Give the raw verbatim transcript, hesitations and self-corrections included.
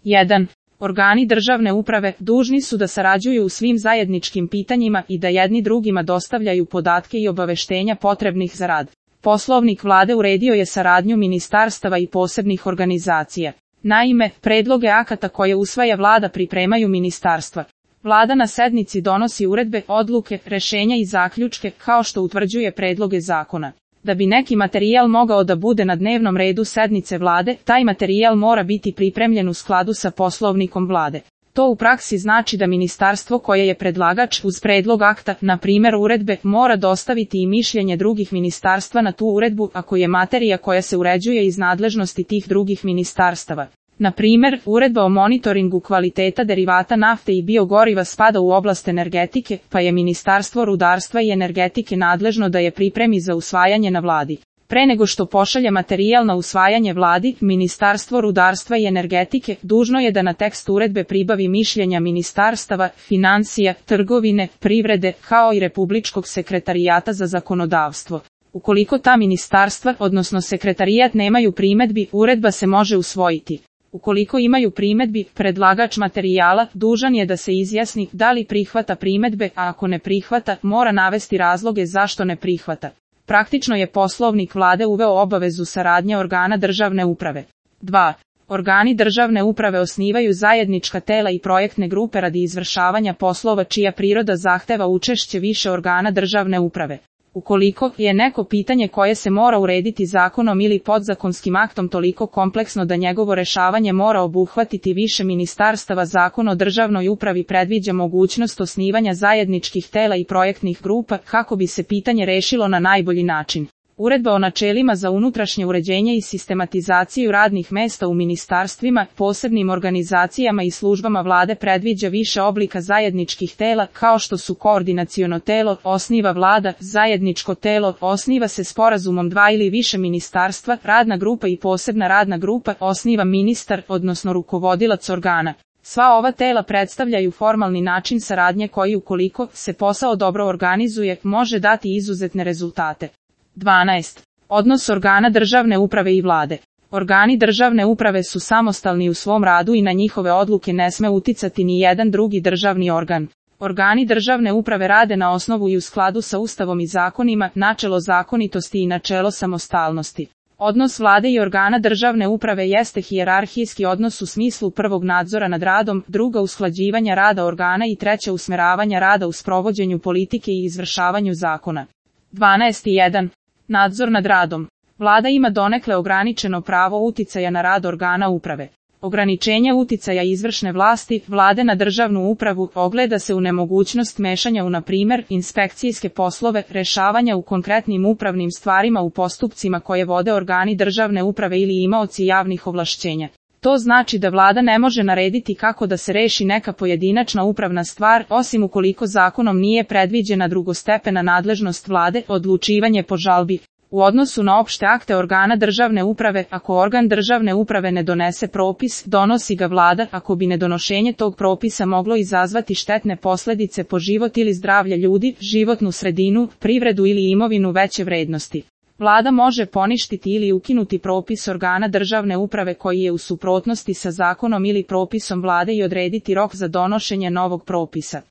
jedan. Organi državne uprave dužni su da sarađuju u svim zajedničkim pitanjima i da jedni drugima dostavljaju podatke i obaveštenja potrebnih za rad. Poslovnik vlade uredio je saradnju ministarstava i posebnih organizacija. Naime, predloge akata koje usvaja vlada pripremaju ministarstva. Vlada na sednici donosi uredbe, odluke, rešenja i zaključke, kao što utvrđuje predloge zakona. Da bi neki materijal mogao da bude na dnevnom redu sednice vlade, taj materijal mora biti pripremljen u skladu sa poslovnikom vlade. To u praksi znači da ministarstvo koje je predlagač uz predlog akta, na primjer uredbe, mora dostaviti i mišljenje drugih ministarstva na tu uredbu ako je materija koja se uređuje iz nadležnosti tih drugih ministarstava. Na primjer, uredba o monitoringu kvaliteta derivata nafte i biogoriva spada u oblast energetike, pa je Ministarstvo rudarstva i energetike nadležno da je pripremi za usvajanje na vladi. Pre nego što pošalje materijal na usvajanje vladi, Ministarstvo rudarstva i energetike dužno je da na tekst uredbe pribavi mišljenja ministarstava, financija, trgovine, privrede, kao i Republičkog sekretarijata za zakonodavstvo. Ukoliko ta ministarstva, odnosno sekretarijat nemaju primedbi, uredba se može usvojiti. Ukoliko imaju primedbi, predlagač materijala dužan je da se izjasni da li prihvata primedbe, a ako ne prihvata, mora navesti razloge zašto ne prihvata. Praktično je poslovnik vlade uveo obavezu saradnje organa državne uprave. dva. Organi državne uprave osnivaju zajednička tela i projektne grupe radi izvršavanja poslova čija priroda zahteva učešće više organa državne uprave. Ukoliko je neko pitanje koje se mora urediti zakonom ili podzakonskim aktom toliko kompleksno da njegovo rešavanje mora obuhvatiti više ministarstava, Zakon o državnoj upravi predviđa mogućnost osnivanja zajedničkih tela i projektnih grupa kako bi se pitanje rešilo na najbolji način. Uredba o načelima za unutrašnje uređenje i sistematizaciju radnih mesta u ministarstvima, posebnim organizacijama i službama vlade predviđa više oblika zajedničkih tela, kao što su koordinaciono telo, osniva vlada, zajedničko telo, osniva se sporazumom dva ili više ministarstva, radna grupa i posebna radna grupa, osniva ministar, odnosno rukovodilac organa. Sva ova tela predstavljaju formalni način saradnje koji, ukoliko se posao dobro organizuje, može dati izuzetne rezultate. dvanaest. Odnos organa državne uprave i vlade. Organi državne uprave su samostalni u svom radu i na njihove odluke ne sme uticati ni jedan drugi državni organ. Organi državne uprave rade na osnovu i u skladu sa Ustavom i zakonima, načelo zakonitosti i načelo samostalnosti. Odnos vlade i organa državne uprave jeste hijerarhijski odnos u smislu prvog nadzora nad radom, druga usklađivanja rada organa i treća usmeravanja rada u sprovođenju politike i izvršavanju zakona. dvanaest jedan. Nadzor nad radom. Vlada ima donekle ograničeno pravo uticaja na rad organa uprave. Ograničenje uticaja izvršne vlasti vlade na državnu upravu ogleda se u nemogućnost mešanja u, na primjer, inspekcijske poslove, rešavanja u konkretnim upravnim stvarima u postupcima koje vode organi državne uprave ili imaoci javnih ovlašćenja. To znači da vlada ne može narediti kako da se reši neka pojedinačna upravna stvar, osim ukoliko zakonom nije predviđena drugostepena nadležnost vlade, odlučivanje po žalbi. U odnosu na opšte akte organa državne uprave, ako organ državne uprave ne donese propis, donosi ga vlada, ako bi nedonošenje tog propisa moglo izazvati štetne posledice po život ili zdravlje ljudi, životnu sredinu, privredu ili imovinu veće vrednosti. Vlada može poništiti ili ukinuti propis organa državne uprave koji je u suprotnosti sa zakonom ili propisom vlade i odrediti rok za donošenje novog propisa.